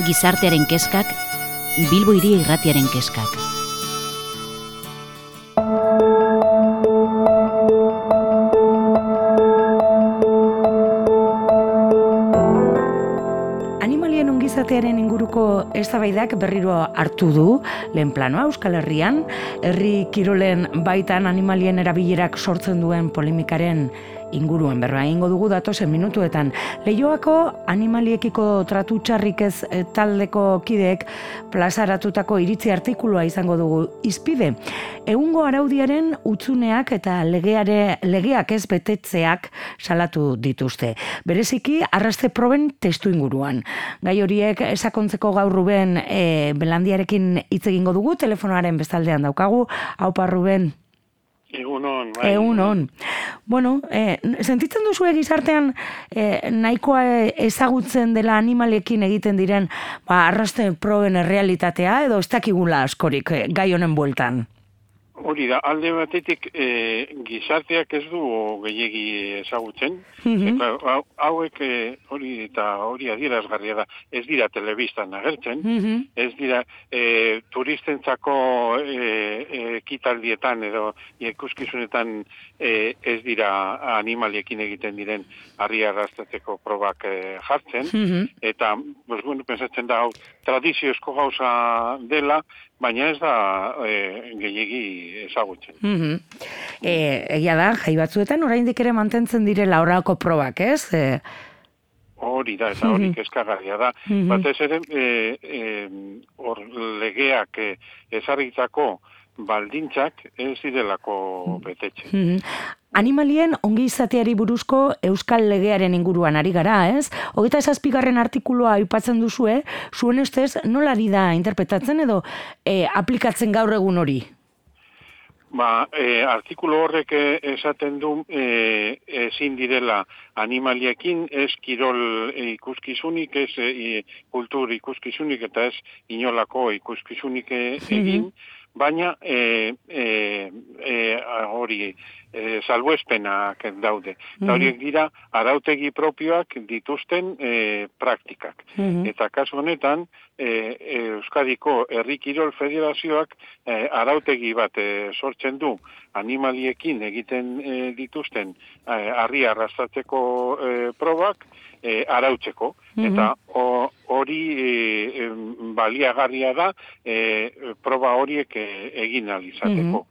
Gizartearen kezkak, Bilbo Hiria Irratiaren kezkak. Animalien ongizatearen inguruko eztabaidak berriro hartu du lehen planoa Euskal Herrian, herri kirolen baitan animalien erabilerak sortzen duen polemikaren inguruan berba egingo dugu datozen minutuetan. Leioako animaliekiko tratu txarrik ez taldeko kideek plazaratutako iritzi artikulua izango dugu hizpide. Egungo araudiaren hutsuneak eta legeak ez betetzeak salatu dituzte. Bereziki arraste proben testu inguruan. Gai horiek sakontzeko gaur Ruben Belandiarekin hitz egingo dugu, telefonoaren bestaldean daukagu. Aupa Ruben. Egunon, bai. Egunon. Bueno, sentitzen duzue gizartean nahikoa ezagutzen dela animalekin egiten diren arraste proben errealitatea edo ez dakigula askorik gai honen bueltan? Hori da, alde batetik gizarteak ez du gehiegi ezagutzen, eta hauek hori adierazgarria da, ez dira telebistan agertzen, ez dira turistentzako ekitaldietan edo ikuskizunetan ez dira animaliekin egiten diren harri arrastatzeko probak jartzen, eta pensatzen da hau tradiziozko gauza dela, baina ez da gehiegi ezagutzen. Egia da, jai batzuetan oraindik ere mantentzen direla horrelako probak, ez? Hori da, eta hori kezkagarria da. Batez ere, legeak ezarritako baldintzak ez direlako betetzen. Animalien ongi izateari buruzko Euskal Legearen inguruan ari gara, ez? 27. artikulua aipatzen duzue, zuen ustez nola ari da interpretatzen edo aplikatzen gaur egun hori? Artikulu horrek esaten du ezin direla animaliekin ez kirol ikuskizunik, ez kultur ikuskizunik eta ez inolako ikuskizunik egin, baina hori salbuespenak daude. Eta horiek dira arautegi propioak dituzten praktikak. Eta kasu honetan, Euskadiko Herri Kirol Federazioak arautegi bat sortzen du animaliekin egiten dituzten harri arrastatzeko probak arautzeko. Eta hori baliagarria da proba horiek egin ahal izateko.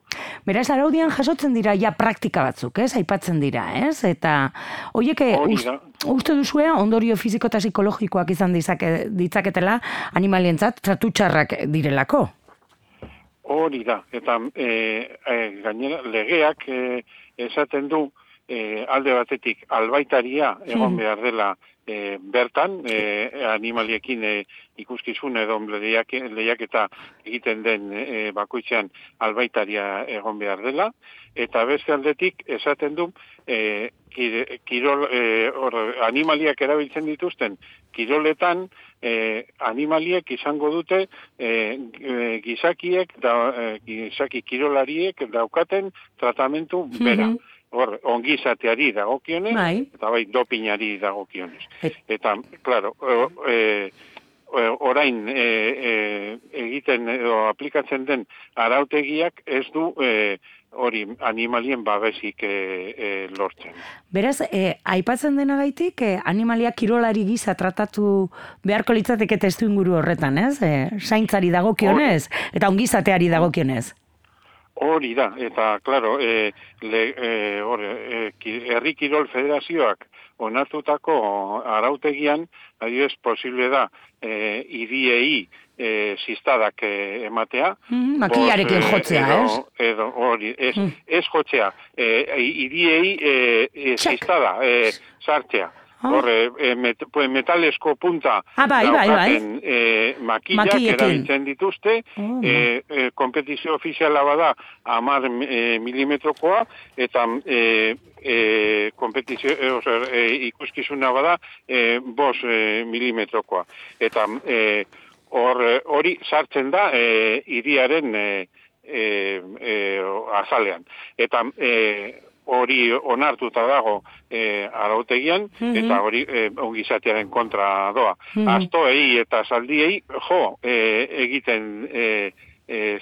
Beraz, araudian jasotzen dira ja praktika batzuk, ez? Aipatzen dira, ez? Eta horiek uste duzue ondorio fiziko eta psikologikoak izan ditzaketela animalientzat tratu txarrak direlako? Hori da, eta gainera legeak esaten du alde batetik albaitaria egon behar dela bertan, animaliekin ikuskizun edo lehiaketa egiten den bakoitzean albaitaria egon behar dela, eta beste aldetik esaten du animaliak erabiltzen dituzten kiroletan animaliek izango dute gizaki kirolariek daukaten tratamentu bera. Ongizateari dagokionez, eta dopinari dagokionez. Eta, klaro, orain egiten edo aplikatzen den arautegiak ez du hori animalien babesik lortzen. Beraz, aipatzen denagaitik, animaliak kirolari gisa tratatu beharko litzateke testu inguru horretan, ez? Zaintzari dagokionez, eta ongizateari dagokionez. Hori da, eta, klaro, Herri Kirol Federazioak onartutako arautegian, adibidez, posible da, hiriei ziztadak ematea. Makilarekin jotzea, ez? Ez jotzea, hiriei ziztada sartzea. Metalesko punta daukaten makillak erabiltzen dituzte, kompetizio ofiziala bada 10 milimetrokoa, eta ikuskizuna bada 5 milimetrokoa. Eta hori sartzen da hiriaren azalean. Eta hori onartuta dago arautegian, eta hori ongizatearen kontra doa. Astoei eta zaldiei, egiten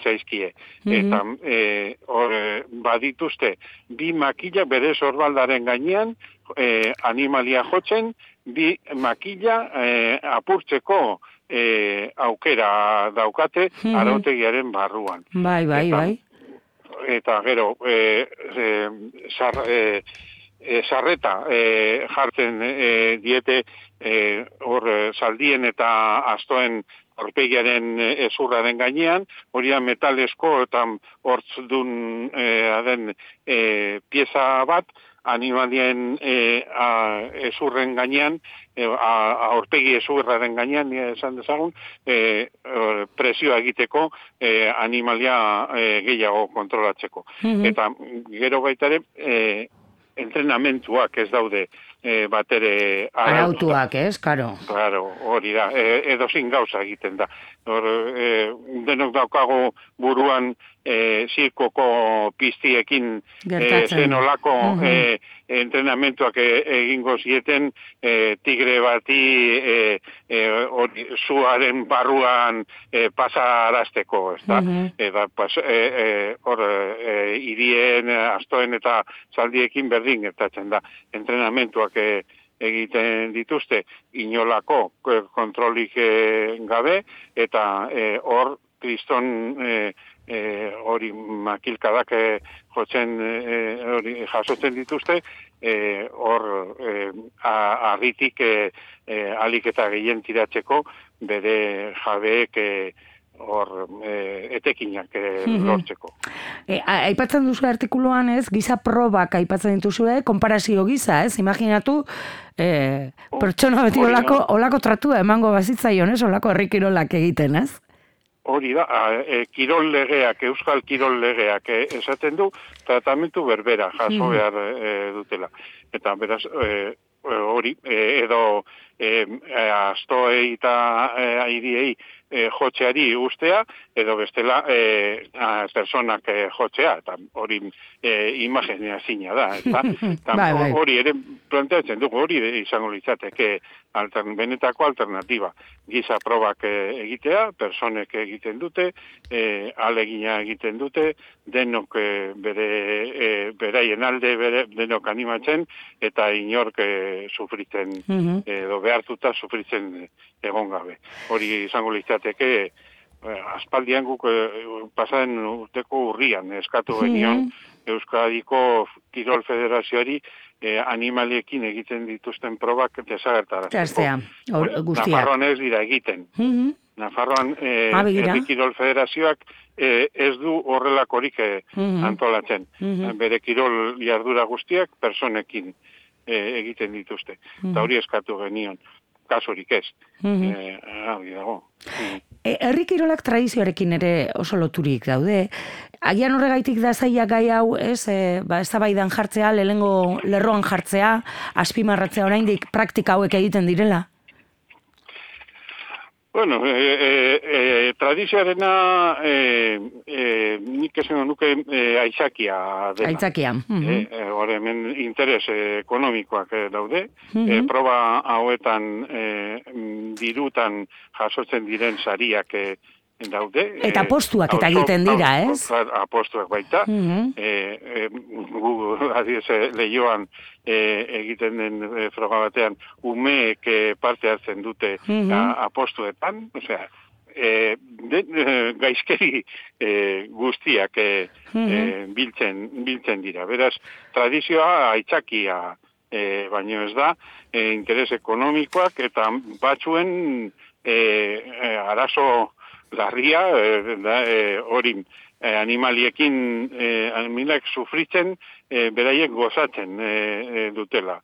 zaizkie. Eta badituzte, bi makila bere sorbaldaren gainean, animalia jotzen, bi makila apurtzeko aukera daukate arautegiaren barruan. Bai. Eta gero, sarreta jartzen diete hor zaldien eta astoen aurpegiaren ezurraren gainean, hori da metalesko eta hortzdun den pieza bat, animalien ezurren gainean, aurpegi ezurraren gainean, esan dezagun, presioa egiteko animalia gehiago kontrolatzeko. Eta gero baita ere, entrenamentuak ez daude batere arautuak, ez, karo. Claro, hori da, edozin gauza egiten da. Denok daukago buruan zirkoko piztiekin zenolako entrenamentuak egingo zieten tigre bati zuaren barruan pasarazteko, ez da? Hor, irien, astoen eta zaldiekin berdin gertatzen da. Entrenamentuak egiten dituzte inolako kontrolik gabe, eta hor kriston hori makilkadak jasotzen dituzte, hor arritik alik eta gehien tiratzeko bere jabeek hor etekinak lortzeko. Aipatzen duzu artikuluan, ez, giza probak aipatzen dituzu, konparazio giza, ez, imaginatu pertsona beti olako tratua emango bazitzaion, ez, olako herri kirolak egiten, ez? Hori da, kirol legeak, euskal kirol legeak esaten du, tratamentu berbera jaso behar dutela. Eta beraz, hori, edo astoei eta airiei jotzeari ustea, edo bestela personak jotzea, eta hori imagenia zina da. Hori ere planteatzen dugu, hori izango litzateke benetako alternatiba. Giza probak egitea, personek egiten dute, alegina egiten dute, denok beraien alde denok animatzen, eta inork sufritzen, edo behartuta sufritzen egon gabe. Hori izango litzateke, aspaldian guk pasaren urteko urrian eskatu genion Euskadiko Kirol Federazioari animaliekin egiten dituzten probak desagertarazteko. Nafarroan ez dira egiten. Nafarroan Kirol Federazioak ez du horrelakorik antolatzen. Bere kirol jardura guztiak personekin egiten dituzte. Eta hori eskatu genion. Kasurik ez. Hori dago. Herri kirolak tradizioarekin ere oso loturik daude. Agian horregaitik da zaila gai hau, ez, eztabaidan jartzea, lehengo lerroan jartzea, azpimarratzea oraindik praktika hauek egiten direla? Bueno, tradizioarena nik esan nuke aitzakia dela. Aitzakia. Hore, hemen interes ekonomikoak daude. Proba hauetan dirutan jasotzen diren sariak daude. Eta apostuak eta egiten dira, ez? Apostuak baita. Lehioan egiten den froga batean umeek parte hartzen dute apostuetan, osea, gaizkeri guztiak biltzen dira. Beraz, tradizioa aitzakia baino ez da, interes ekonomikoak eta batzuen arazo larria, hori animaliekin animaliak sufritzen, beraiek gozatzen dutela.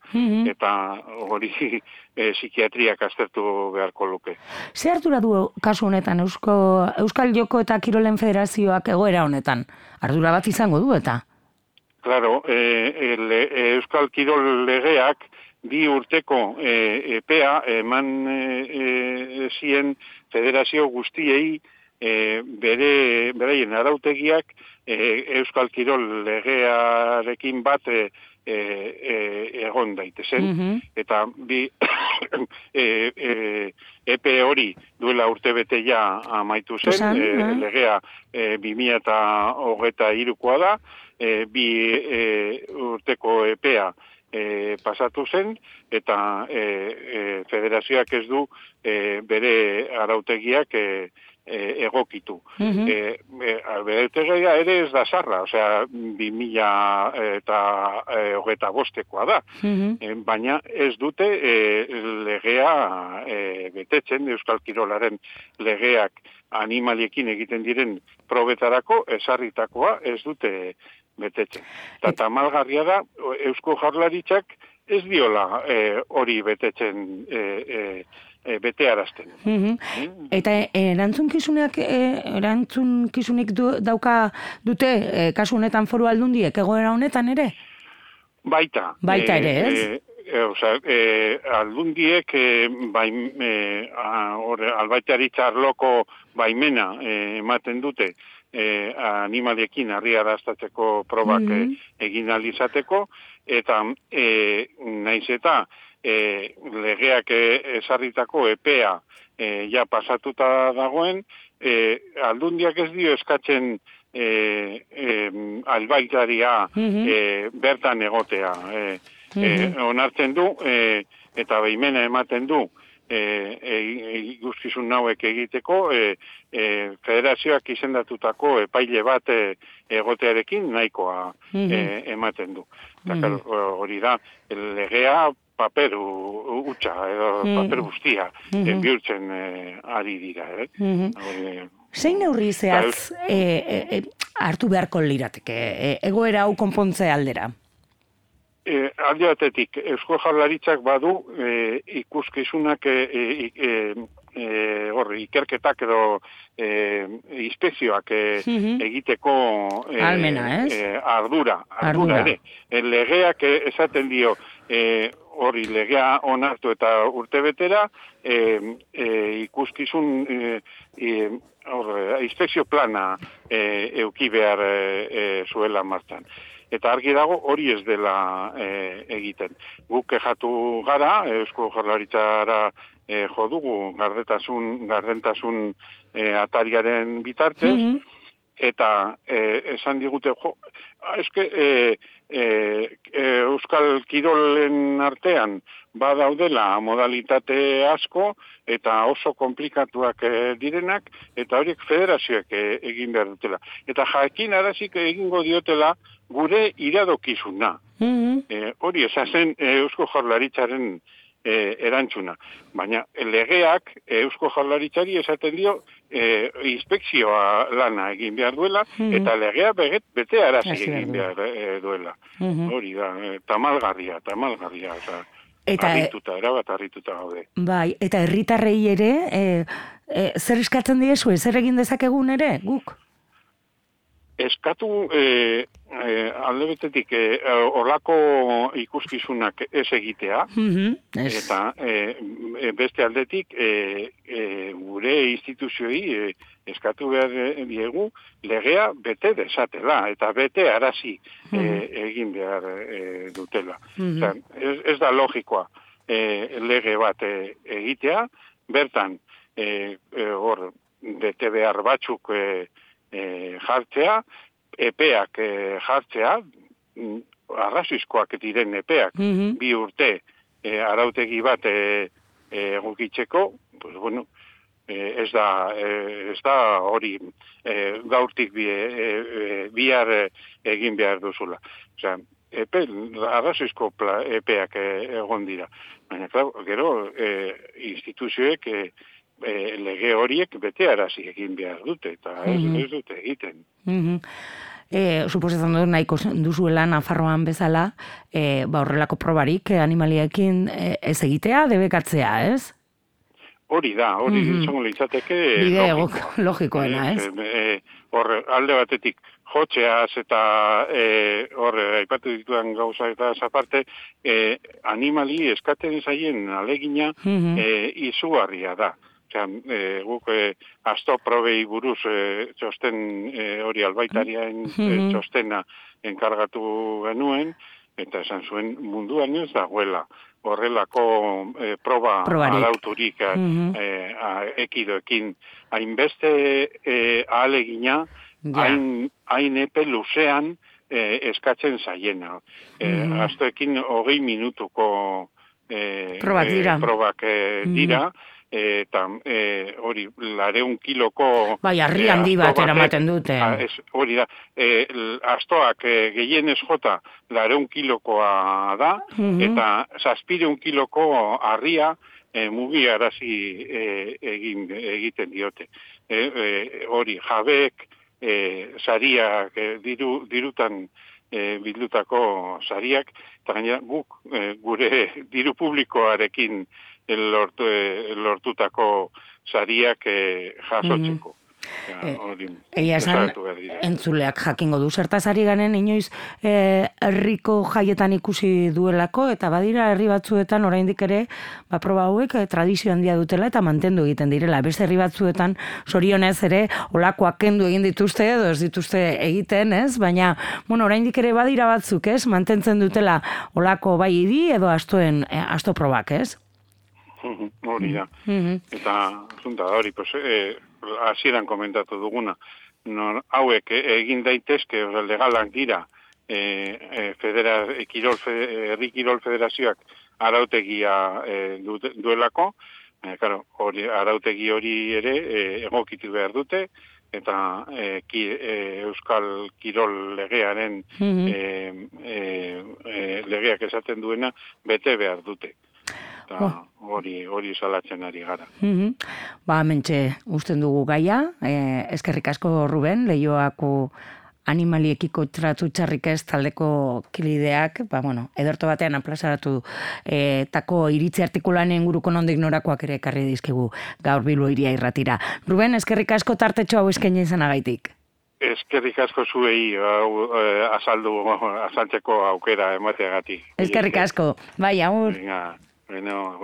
Eta hori psikiatriak aztertu beharko luke. Ze ardura du kasu honetan Euskal Joko eta Kirolen Federazioak egoera honetan? Ardura bat izango du eta? Claro, Euskal Kirol legeak 2 urteko epea eman zien federazio guztiei beraien arautegiak Euskal Kirol legearekin bat egon daitezen, eta bi epe hori duela urtebete ja amaitu zen, legea 2023koa da, bi urteko epea pasatu zen, eta federazioak ez du bere arautegiak egokitu. Arautegia ere ez da zarra, osea, 2025koa da, baina ez dute legea betetzen, Euskal Kirolaren legeak animaliekin egiten diren probetarako, ezarritakoa ez dute betetzen. Eta tamalgarria da, Eusko Jaurlaritzak ez diola hori betetzen betearazten. Eta erantzunkizunik dauka dute kasu honetan Foru Aldundiek egoera honetan ere? Baita ere, ez? Aldundiek albaitaritza arloko baimena ematen dute animaliekin harriaraztatzeko probak egin ahal izateko, eta naiz eta legeak ezarritako epea ja pasatuta dagoen, Aldundiak ez dio eskatzen albaitaria bertan egotea. Onartzen du, eta baimena ematen du, ikuskizun nauek egiteko, federazioak izendatutako epaile bat egotearekin nahikoa ematen du. Hori da, legea paper utxa, edo paper guztia bihurtzen ari dira. Zein neurri zehatz hartu beharko lirateke, egoera hau konpontze aldera? Alde batetik, Eusko Jaurlaritzak badu ikuskizunak ikerketak edo inspekzioak egiteko ardura ere. Legeak esaten dio hori legea onartu eta urtebetera ikuskizun inspekzio plana euki behar zuela martxan. Eta argi dago hori ez dela egiten. Guk kexatu gara, Eusko Jaurlaritzara jo dugu gardentasun atariaren bitartez, eta esan digute, Euskal Kirolen artean badaudela modalitate asko eta oso komplikatuak direnak, eta horiek federazioek egin behar dutela. Eta jakin arazik egingo diotela gure iradokizuna. Hori esazen Eusko Jaurlaritzaren erantzuna. Baina legeak Eusko Jaurlaritzari esaten dio inspekzioa lana egin behar duela, eta legea bete arazi egin behar duela. Hori da, tamalgarria. Erabat harrituta gaude. Bai, eta herritarrei ere, zer eskatzen diezue, zer egin dezakegun ere, guk? Eskatu alde betetik olako ikuskizunak ez egitea, eta beste aldetik gure instituzioi eskatu behar diegu legea bete desatela, eta bete arazi egin behar dutela. Ez da logikoa lege bat egitea, bertan hor bete behar batzuk jartzea, epeak jartzea, arrazoizkoak diren epeak, 2 urte arautegi bat egokitzeko, pues bueno, ez da hori gaurtik bihar egin behar duzula. Osea, arrazoizko epeak egon dira. Baina, gero, instituzioek lege horiek betearazi egin behar dute, eta ez dute egiten. Suposatzen dut nahiko duzuela Nafarroan bezala, horrelako probarik animaliekin ez egitea, debekatzea, ez? Hori da, hori izango litzateke bide logikoena, ez? Alde batetik jotzeaz eta aipatu ditudan gauza eta aparte, animali eskaten zaien alegina izugarria da. guk asto probei buruz txosten hori albaitariaen txostena enkargatu genuen, eta esan zuen munduan ez dagoela horrelako proba arauturik ekidoekin. Hainbeste ahalegina, hain epe luzean eskatzen zaiena. Astoekin 20 minutuko probak dira, eta hori 200 kiloko... Bai, harri handi bat eramaten dute. Hori da, astoak gehienez jota 200 kilokoa da, eta 700 kiloko harria mugiarazi egiten diote. Hori, jabeek, sariak, dirutan bildutako sariak, eta gainera guk gure diru publikoarekin lortutako sariak jasotzeko. Egia esan, entzuleak jakingo du zertaz ari ganen, inoiz herriko jaietan ikusi duelako, eta badira herri batzuetan oraindik ere, proba hauek tradizio handia dutela eta mantendu egiten direla. Beste herri batzuetan zorionez ere olakoak kendu egin dituzte edo ez dituzte egiten, ez? Baina, oraindik ere badira batzuk, ez? Mantentzen dutela olako bai idi edo asto probak, ez? Hori da. Eta, zunta da hori, hasieran komentatu duguna, hauek egin daitezke, legalak dira, herri kirol federazioak arautegia duelako, arautegi hori ere egokitu behar dute, eta Euskal Kirol legearen legeak esaten duena bete behar dute. Hori salatzen ari gara. Mentxe usten dugu gaia, eskerrik asko Ruben, Leioako animaliekiko tratu txarrik ez taldeko kideak, ederto batean aplazaratu tako iritzi artikulan inguruko nondik norakoak ere ekarri dizkigu gaur Bilbo Hiria Irratira. Ruben, eskerrik asko tartetxo hau eskaini izanagaitik. Eskerrik asko zuei azaltzeko aukera emateagatik. Eskerrik asko, bai, agur. Bueno,